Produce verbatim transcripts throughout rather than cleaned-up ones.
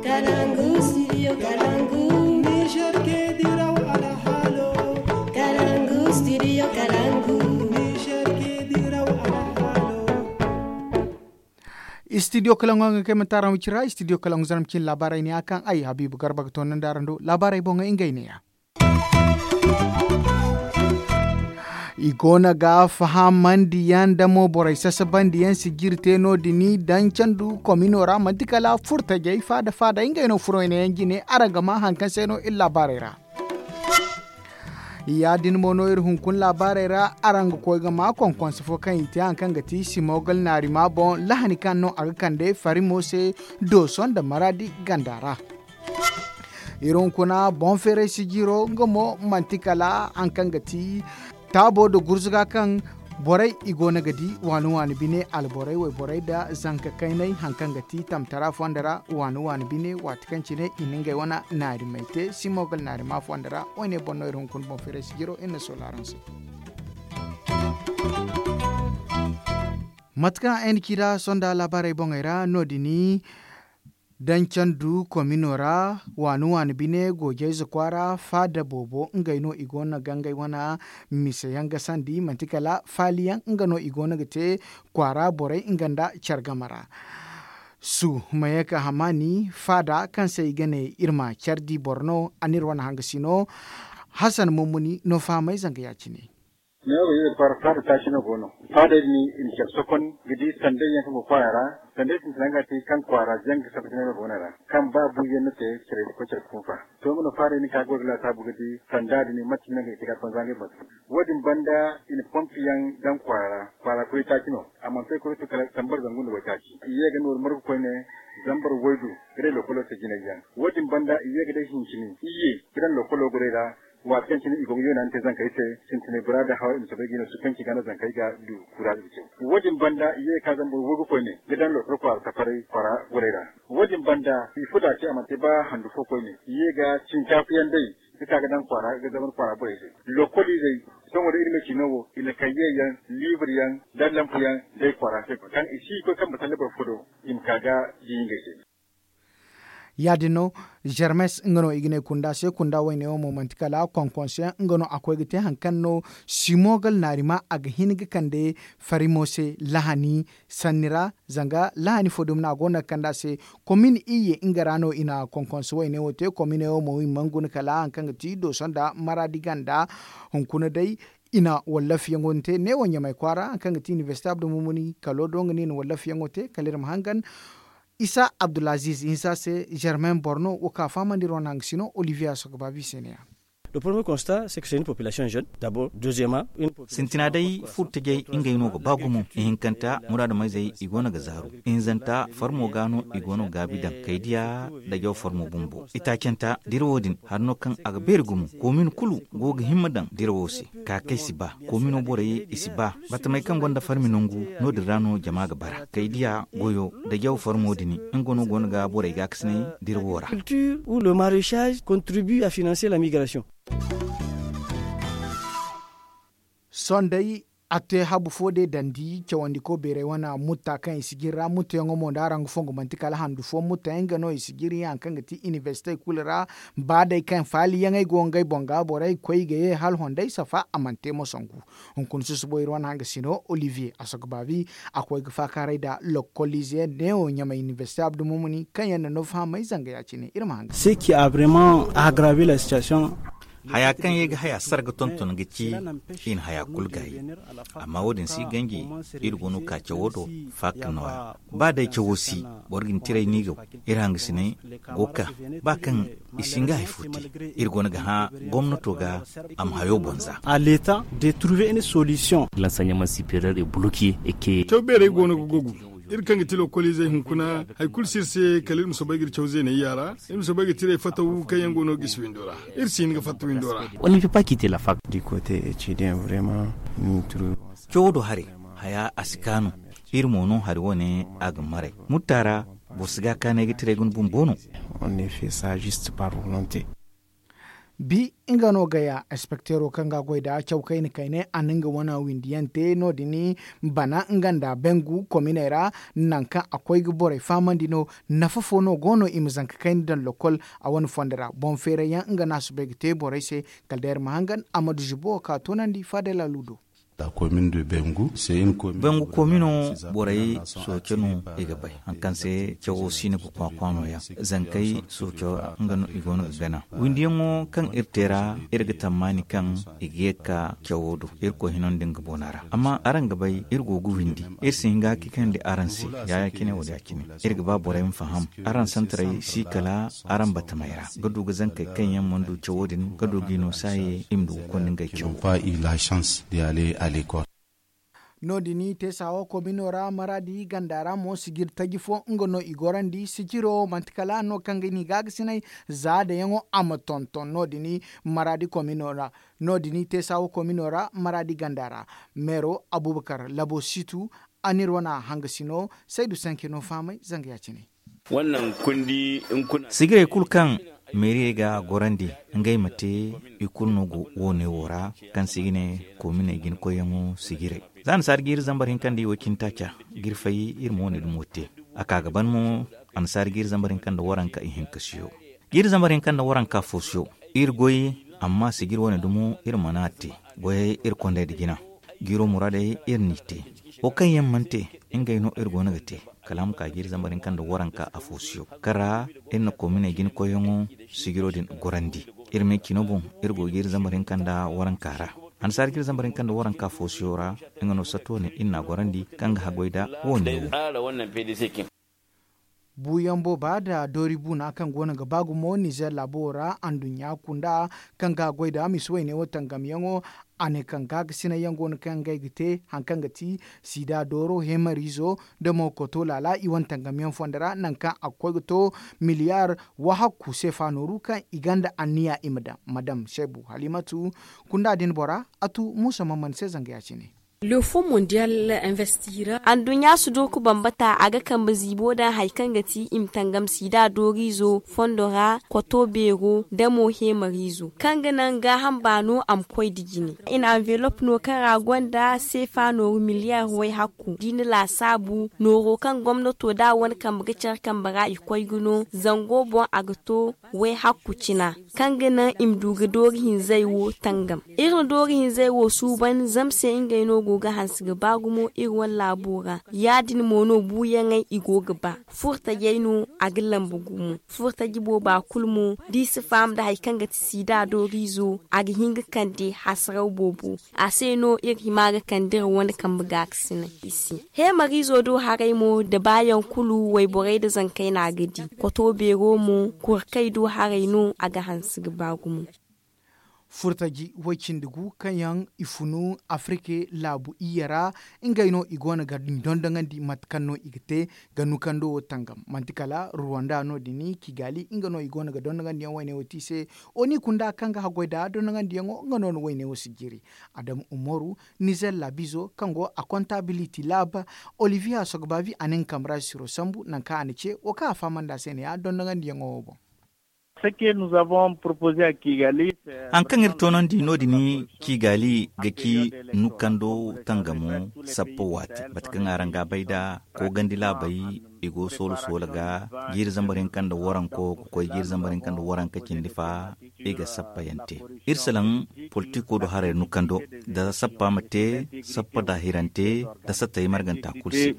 Kalangu studio kalangu. Niger ke diraw alhalo. Kalangu studio kalangu. Niger ke diraw alhalo. Studio kalangu hanga kay mantara mu cira studio kalangu zarma cin labarai ne a kaŋ ay habibu garba ga tono nda araŋ do labarai boŋ ngey ne ya. I go no ga fahamandiyaŋ nda mo borey sasabandiyaŋ sijiri te no- din daŋ candu komino ra manti kala furtajey faada faada ngey no furo i na yaŋ jine araŋ ga ma hari kaŋ se no iri laabaarey ra. Ya- din mo no iri hunkuna laabaarey ra araŋ ga koy ga ma konkonse fo kaŋ i te hari kaŋ ga ti simogal naarima boŋ lahani kaŋ no a ga kande farimo se dooso nda maraadi ganda ra. Iri hunkuna boŋ feeray sijiro nga mo manti kala hari kaŋ ga ti taabo nda gurzuga kaŋ borey i go no ga di waani waani bine alborey wayborey nda zanka kaynay hari kaŋ ga ti tamtara fonda ra waani waani bine waati kaŋ cine i na ngey wane naarimey te simogal naarima fonda ra. Wayne boŋ no iri hunkuna boŋ feeray sijiro iri na soola araŋ se. Mate kaŋ ay na ci nd'a sonda laabaarey boŋey ra no- din daŋ candu komino ra waani waani bine goojayze kwaara faada boobo ngey no i go no ga ngey wane mise yaŋ gasandi manti kala faali yaŋ nga no i go no ga te kwaara borey nga nda care game ra. Su mayaka hamaani faada kaŋ se i ga ne iri ma care di boro no a n'iri wane hangasi no. Hasan mummuni no fahamay zanga ya- cine. Neewo ga yeeri far faada taaci no go no. Faadey din i na care sokon ga di sanday yaŋ kaŋ go kwaara ra. Sanday sintina nga ti kaŋ kwaara jaŋ ga sabbati neewo go no ra kaŋ ba buuyaŋ no te care ga koy care ga funfa. To nga no faadey din kaŋ a go ga laasaabu ga di sanda din mate no ngey ga te ga a banza ngey boŋ se. Wo- din banda i na pompi yaŋ daŋ kwaara ra. Kwaara kuri taaci no. A mana to i kuri to kala zambar zangu nda waytaaci i ye ga nooru margu koyne. Zambar waydu ga day lokolo se jinay yaŋ. Wo- din banda i ye ga day hincini i ye ga daŋ lokolo goray ra. Waati kaŋ cine i go ga yoona ni te zankey se sintinay bora da haw i ma soobay ga i no sukanci ga no zankey ga du kuraaz ga caw. Wo- din banda i ye ga ka zambar waygu koyne ga daŋ lokolo kwaara tafaray kwaara goray ra. Wo- din banda i fo da ce a mana te ba handu fo koyne i ye ga cinkaafa yaŋ day ga ka ga daŋ kwaara ga zambar kwaara borey se. Lokoliizey sohõ da iri ma ci no wo i na kayye yaŋ liibir yaŋ da lampu yaŋ day kwaara se kaŋ i si koy kaŋ ma talle boro fo do i ma ka ga di ngey se. Ya- din no, germes nga no i ga ne kunda se kunda wayne wo mo manti kala konkonse nga no a koy ga te hari kaŋ no simogal naarima a ga hin ga kande farimo se lahani sanni ra. Zanga lahani fo dumi no a go no ga kande a se komin iyye nga ra no i na konkonse wayne wo te komine wo mo i mana guna kala hari kaŋ ga ti dooso nda maraadi ganda. Hunkuna day i na wallafiyaŋo din te neewo ɲamay kwaara hari kaŋ ga ti inibersite abdulmumuni kalo do nga no i na wallafiyaŋo te kala iri ma hangan isa abdulaziz hinsa se germain borno wo ka fahamandi iri wane hangasino olivier a soga baabi se ne ya. Le premier constat c'est que c'est une population jeune d'abord deuxièmement une population sintina day furtajey ngey no ga ba gumo ihinkanta muraadu mayzey i go no ga zaaru ihinzanta farmo ga no i go no ga gaabi daŋ kay diya da jaw farmo bumbo itaacanta dira wo- din hari no kaŋ a ga beeri gumo koomin kulu go ga himma daŋ dira wo se ka kay si ba koomino borey i si ba batamey kaŋ gonda farmi nangu no- din ra no jama ga bara kay diya goyo da jaw farmo din nga no go no ga borey ga kasinay dira wo ra. Culture ou le maraîchage contribue à financer la migration. Sohõ day a te habu fo day dandi cawandiko beeray wane mutta kaŋ i si jiri ra muttayaŋo mo nda araŋ ga fongu manti kala handu fo muttayaŋ nga no i si jiri hari kaŋ ga ti inibersite kulu ra. Ba day kaŋ faaliyaŋey go ngey boŋ ga borey koy ga ye hala hondey safa a mana te mo sangu. Hunkuna susubo iri wane hangasino olivier a soga baabi a koy ga faakaaray nda lokoliize neewo ɲamay inibersite abdulmumuni kaŋ yaŋ na no fahamay zanga ya- cine iri ma hanga se qui a vraiment aggravé la situation. Haya kaŋ ye ga haya sara ga tonton ga ci i na haya kulu gaayi. Amma wo- din si ganji iri go no ka cawo do faaka nooya ba day cawo si boro ga ni tiray ni ga iri hangasinay go ka ba kaŋ i si nga hay fo te iri go no ga hã gomnato ga a ma hayo boŋ za. A l'état de trouver une solution. L'enseignement supérieur est bloqué et que caw beerey go no ga gogu iri kaŋ ga ti lokoliizey hunkuna hari kulu si iri se kala iri ma soobay ga iri caw zeenayya ra iri ma soobay ga tiray fatawu kaŋ yaŋ go no gisi windo ra. Iri si hin ga fatta windo ra. On ne peut pas quitter la fac. Du côté étudiant vraiment ni turu cawo do haray haya a si kaanu. Iri mo no hari wane a ga maray mutta ra boro si ga kaanay ga tiray ga ni bumbo no. On ne fait ça juste par volonté. Bi nga no gaya inspekteero kaŋ ga a goy nd'a caw kayna kayna a na nga wane windiyaŋ te no- din bana nga nda bengu kominey ra. Nangu kaŋ a koy ga borey fahamandi no. Nafa fo no go no i ma zanka kayna daŋ lokol a wane fondo ra boŋ feerayyaŋ nga no a soobay ga te borey se. Kala day iri ma hangan a ma du zubo wo kaŋ a toonandi faadala luudo. Bengu komino borey sooce no i ga bay hari kaŋ se cawo siina ga kwaakwa nooyaŋ. Zankey sooco nga no i go no ga gana windiyaŋo kaŋ iri te ra. Iri ga tammaani kaŋ i ga ye ga ka cawo do irkoy hino nda nga boona ra. Amma araŋ ga bay iri go ga windi iri si hin ga hakikandi araŋ se. Ya- ya cine wo- din ya cine iri ga ba borey ma faham. Araŋ santaray si kala araŋ batamey ra ga du ga zankey kaŋ yaŋ mana du cawo din ga du g'i no saaye i ma du ga konda ngey cawo. No- din teesa wo komino ra maraadi ganda ra mo sijiri taji fo nga no i gorandi sijiro manti kala no kaŋ ga ni gaagasinay. Za dayaŋo a ma tonton no- din maraadi komino ra. No- din teesa wo komino ra maraadi ganda ra meero abubakar labo situ. A n'iri wane hangasino saydu sanke no fahamay zanga ya- cine. Sijirey kulu kaŋ meeriyey ga a gorandi ngey ma te i kulu no go wo- ne wo ra. Kaŋ se i ga ne kominey jinakoyyaŋo sijirey. Za annasaari jiiri zambar hinka nda i wo cine taaca ga iri fay iri ma wo- ne dumo te. A ka ga ban mo annasaari jiiri zambar hinka nda waranka ihinka siyo jiiri zambar hinka nda waranka fo siyo. Iri goy amma sijiri wo- ne dumo iri mana a te. Goyey iri kondey nda jina jiiro muraadey iri n'i te. Wo kaŋ yaŋ mana te ngey no iri go no ga te. Kala a ma ka jiiri zambar hinka nda waranka afo siyo kaŋ ra iri na kominey jinakoyyaŋo sijiro din gorandi. Iri me cino boŋ iri go jiiri zambar hinka nda waranka ra. Annasaari jiiri zambar hinka nda waranka afo siyo ra nga no sato ne iri n'a gorandi kaŋ ga haggoy nda wo- ne wo. Buuyaŋ booba nda doori buuna kaŋ go no ga ba gumo nizer laabo ra anduɲɲa kunda kaŋ ga goy nda misi wayne wo tangamyaŋo. A ne kaŋ gaagasinay yaŋ go no kaŋ ngey ga te hari kaŋ ga ti siida dooro heemariizo nda mo koto laala i wane tangamyaŋ fondo ra nangu kaŋ a ga koy ga to miliyaar wahakku seefa nooru kaŋ i gonda anniya i ma daŋ madam seebu halimatu. Kunda din bora a tu muusa mamman se zanga ya- cine. Anduɲɲa si du ga bambata a ga kambe ziibo daŋ hari kaŋ ga ti i ma tangam siida dooriizo fondo ra koto beero nda mo heemariizo kaŋ ga naŋ gaaham baano a ma koy nda jine. I na anvelop no kaŋ ra gonda seefa nooru miliyaar way hakku da i na laasaabu nooro kaŋ gomnato da a wane kambe ga care kambe ra i koy ga no zango boŋ a ga to way hakku cina kaŋ ga naŋ i ma du ga doori hinzey wo tangam. Iri na doori hinzey wo suuban zama se ngey no go ga hanse ga ba gumo iri wane laabo ra. Ya- din mo no buuyaŋey i go ga ba furtajey no a ga lambu gumo. Furtaji booba kulu mo da i si faham nda hari kaŋ ga ti siida dooriizo a ga hin ga kande hasaraw boobo. A se no iri hima ga kande iri wane kambe gaakasinay i se. Heemariizo do haray mo nda baayaŋ kulu wayborey nda zankey no a ga di. Koto beero mo kurkey do haray no a ga hanse ga ba gumo. Furtaji way cindi gu kaŋ yaŋ i funu afirika laabu iyye ra ngey no i go no ga dondoŋandi mate kaŋ no i ga te ga nukando wo tangam manti kala ruwanda no- din kigaali nga no i go no ga dondoŋandiyaŋ wayne wo te i se. Oni kunda kaŋ ga haggoy nda dondoŋandiyaŋo nga no na wayne wo sijiri. Adamu umaru nizer laabizo kaŋ go a kontabiliti laaba oliviya sogbavi a na nga kambe ra siro sambu nangu kaŋ a na ce wo kaŋ a fahamandi a se ne ya dondoŋandiyaŋo wo boŋ. Hari kaŋ iri toonandi no- din kigaali ga ci nukando tangamo sappa waati mate kaŋ araŋ ga a bay nda koogandi laabey i go soola soola ga jiiri zambar hinka nda waranko ga koy jiiri zambar hinka nda waranka cindi fa i ga sappa yaŋ te. Iri salaŋ politiko do haray nukando da sappa ma te sappa daahirante da sattay marganta kulu se.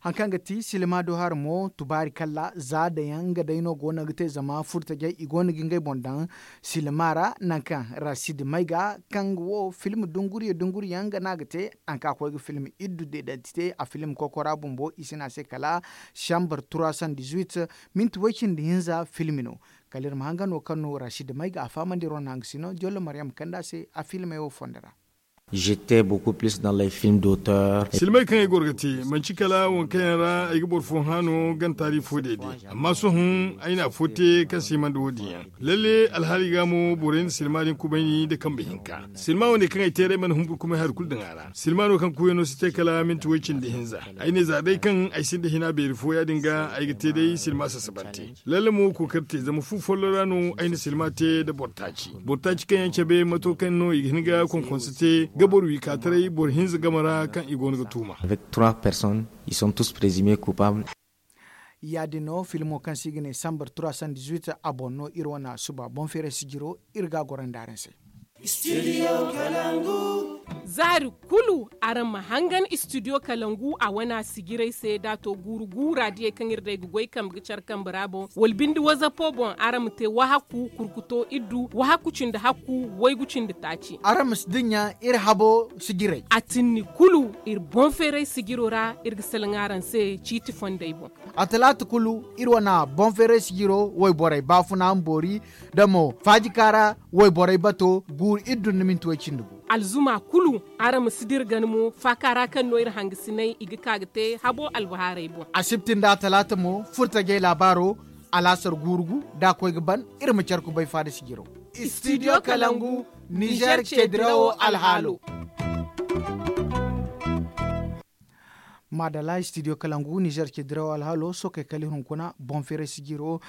Hari kaŋ ga ti silima do hari mo tubaari kalla za dayaŋ nga day no go no ga te zama furtajey i go no ga ngey boŋ daŋ silima ra nangu kaŋ rasid mayga kaŋ ga wo film dunguriye dunguriyaŋ nga no a ga te nangu kaŋ a koy ga film iddu deedantite a film kokora bumbo i si ne a se kala sambar trois cent dix-huit minti way cindi hinza film no. Kala iri ma hanga no kaŋ no rasid mayga a fahamandi iri wane hanga sino jollo maryam kande a se a filmey wo fondo ra. J'étais beaucoup plus dans les films d'auteur. Silmay kaŋ ay goro ga te, manci kala waŋ kaŋ yaŋ ra ay ga boro fo hã no gana taari fo day day. Amma sohõ ay na afo te kaŋ se i mana da wo- din yaŋ. Lalle alhaali ga mo borey na silma din kubayni nda kambe hinka. Silma wane kaŋ ay te ra ay mana humburu kumay hari kulu daŋ a ra. Silma no kaŋ kuuyano si te kala minti way cindi hinza. Ay ne za day kaŋ ay sinda hina beeri fo ya- din ga ay ga te day silma sasabante. Lalle mo kookari te zama fu follo ra no ay na silma te nda boro taaci. Boro taaci kaŋ yaŋ cabe mato kaŋ no i ga hin ga konkonso te ga boro wi ka taray boro hinza game ra kaŋ i go no ga tuuma. Avec trois personnes, ils sont tous présumés coupables. Ya- din no filmo kaŋ se i ga ne sambar trois cent dix-huit a boŋ no iri wane suba boŋ feeray sijiro iri ga a goro nda araŋ se. Za hari kulu araŋ ma hangan istidiyo kalangu a wane sijirey se da a to guuru guura diyey kaŋ iri day ga goy kambe ga care kambe ra boŋ wala binde wazapo boŋ araŋ ma te wahakku kurkuto iddu wahakku cindi hakku waygu cindi taaci. Araŋ ma si dinya iri habo sijirey. A tinni kulu iri boŋ feeray sijiro ra iri ga salaŋ araŋ se ciiti fondey boŋ. A talaata kulu iri wane boŋ feeray sijiro wayborey baafuna boori da mo faajika ra wayborey bato guuru iddu nda minti way cindi gu. Alzuma kulu araŋ ma si dira gana mo faaka ra kaŋ no iri hangasinay i ga ka ga te habo albahaarey boŋ. Asibti nda talaata mo furtajey laabaaro alaasar guuru gu da a koy ga ban iri ma care kubay faada sijiro. Istidiyo kalangu nizer ce dirawo alhaalo. Maadala istidiyo kalangu nizer ce dirawo alhaalo sookey kala iri hunkuna boŋ feeray sijiro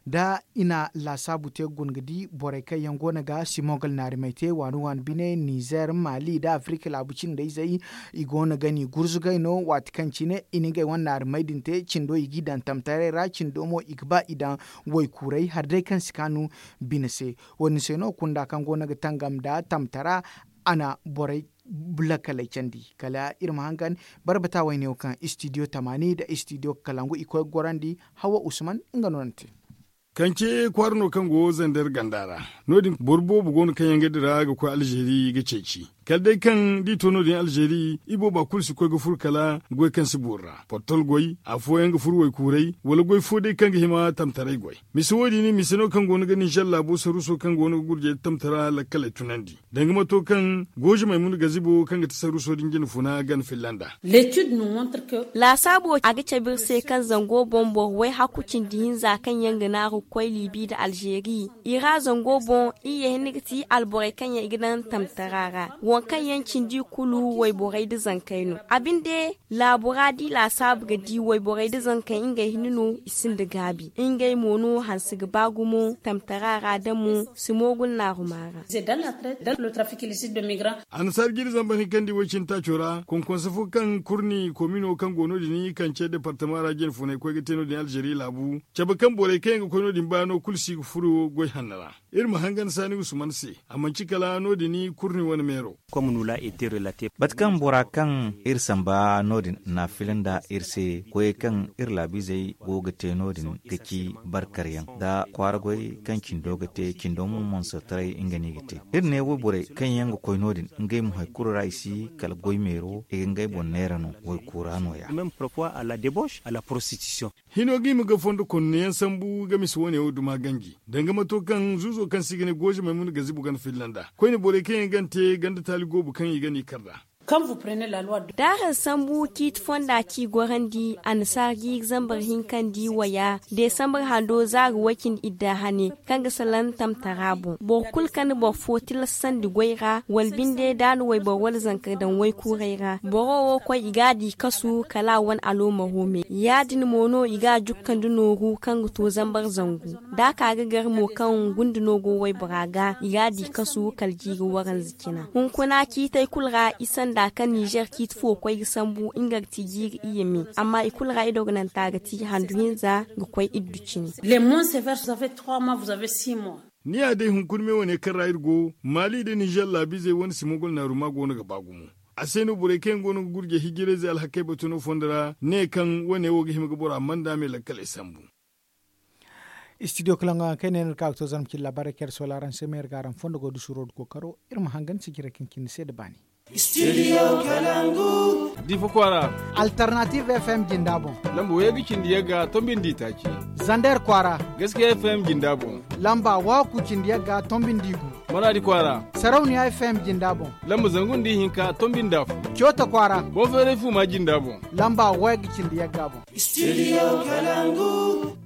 da i na laasaabu te ga guna ga di borey kaŋ yaŋ go no ga simongal naarimay te waani waani bine nizer maali nda afirika laabu cindey zey. I go no ga ni gurzugay no waati kaŋ cine i na ngey wane naarimay din te cindo i g'i daŋ tamtaray ra cindo mo i ga ba i daŋ waykuuray hari day kaŋ si kaanu bine se. Wo- din se no kunda kaŋ go no ga tangam nda tamtara a na borey lakkaley candi kala iri ma hangan barbata wayne wo kaŋ istidiyo tamaani nda istidiyo kalangu i koy ga gorandi. Hawa usman nga no na te. Kance kwaara no kaŋ go zander ganda ra. No- din boro boobo go no kaŋ yaŋ ga dira ga koy alzeeri ga ceeci kala day kaŋ da i to no- din alzeeri i booba kulu si koy ga furo kala goy kaŋ si boori ra portol goy afooyaŋ ga furo waykuuray wala goy fo day kaŋ ga hima tamtaray goy. Mise wo- din mise no kaŋ go no ga ninzer laabo saruuso kaŋ go no ga gurjey da tamtara lakkaley tunandi. Danga mato kaŋ gooze maymuna gazibo kaŋ ga ti saruuso din jina funa gana filla nd'a. Laasaabo a ga cabe iri se kaŋ zango boŋ boro way hakku cindi hinza kaŋ yaŋ ga naaru ga koy liibi nda alzeeri. I ra zango boŋ iri ye hinne ga ti alborey kaŋ yaŋ i ga daŋ tamtara ra waŋ kaŋ yaŋ cindi kulu wayborey nda zankey no. A binde laabu ra da i laasaabu ga di wayborey nda zankey ngey hinne no i sinda gaabi ngey mo no hanse ga ba gumo tamtara ra da mo si moogul naaruma ra. Annasaara jiiri zambar hinkandi way cine taaco ra konkonse fo kaŋ kurni komino kaŋ go no- din kance departama ra jine funay koy ga te no- din alzeeri laabu cabe kaŋ borey kaŋ yaŋ ga koy no- din baano kulu si ga furo goy hanno ra. Iri ma hangan saani usman se a manci kala no- din kurni wane meero. Mate kaŋ bora kaŋ iri samba no- din na a fila nda iri se koyey kaŋ iri laabiizey go ga te no- din ga ci barkaryaŋ nda kwaara goy kaŋ cindo ga te cindo mo monsotaray nga no i ga te. Iri ne wayborey kaŋ yaŋ ga koy no- din ngey mo hari kulu ra i si kala goy meero i ga ngey boŋ neera no waykuura nooya. Hino ga hima ga fondo konno yaŋ sambu ga mise wane wo duma ganji danga mato kaŋ zuuzo kaŋ se i ga ne gooze maymuna gazibu gana filla nd'a koyne borey kaŋ yaŋ gana te ganda taali goobu kaŋ i gana i kar nd'a. Da araŋ sambu ciiti fonda ci gorandi annasaara jiiri zambar hinkandi waya desambar hando zaari way cindi idda hane kaŋ ga salaŋ tamtara boŋ boro kulu kaŋ na boro fo tilassandi goy ra wala binde da a na wayboro wala zanka daŋ waykuurey ra boro wo koy i ga a di kasu kala a wane aloomaro me ya- din mo no i ga a jukkandi nooru kaŋ ga to zambar zangu da a ka ga gar mo kaŋ gunda no go waybora ga i ga a di kasu kala jiiri waranza cina hunkuna ciitey kulu ra i sanda kaŋ nizer ciiti fo koy ga sambu nga ga ti jiiri iyye me amma i kulu ra i dogonanta ga ti handu hinza ga koy iddu cine. Ni ya day hunkuna me wane kaŋ ra iri go maali nda nizer laabiizey wane simogol naaruma go no ga ba gumo. A se no borey kaŋ yaŋ go no ga gurjey hijirayzey alhakey batu no fondo ra ne kaŋ wane wo ga hima ga bora manda me lakkaley sambu. Istidiyo kalaŋ ga haŋ kay ne no iri ka ga to zarma cine laabaarey kaŋ iri soola araŋ se ma iri ga araŋ fondo go da suuro nda kookaro iri ma hangan sijirey kaŋ cine se nda baani. Difa kwaara. Alternative F M jinda boŋ. Lamba way ga cindi yagga tombi nda itaaci. Zander kwaara. Gaskiya F M jinda boŋ. Lamba waakku cindi yagga tombi nda igu. Maradi kwaara. Sarauniya F M jinda boŋ. Lamba zangu nda ihinka tombi nda afo. Coota kwaara. Boŋ feeray fuuma jinda boŋ. Lamba wayga cindi yagga boŋ. Studio Kalangu.